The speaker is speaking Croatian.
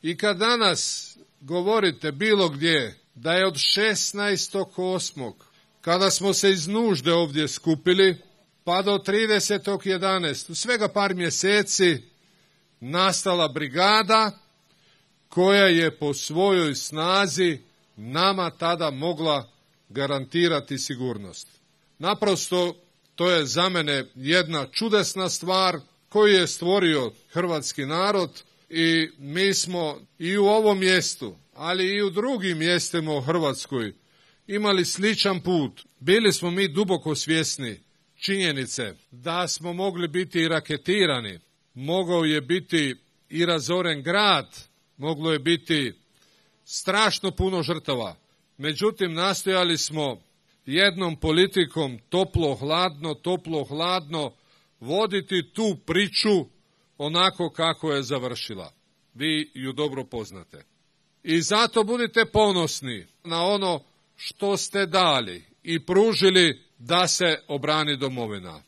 I kad danas govorite bilo gdje da je od 16.8. kada smo se iz nužde ovdje skupili, pa do 30.11. svega par mjeseci nastala brigada koja je po svojoj snazi nama tada mogla garantirati sigurnost. Naprosto, to je za mene jedna čudesna stvar koju je stvorio hrvatski narod i mi smo i u ovom mjestu, ali i u drugim mjestima u Hrvatskoj imali sličan put. Bili smo mi duboko svjesni činjenice da smo mogli biti i raketirani, mogao je biti i razoren grad, moglo je biti strašno puno žrtava. Međutim, nastojali smo jednom politikom toplo-hladno voditi tu priču onako kako je završila. Vi ju dobro poznate. I zato budite ponosni na ono što ste dali i pružili da se obrani domovina.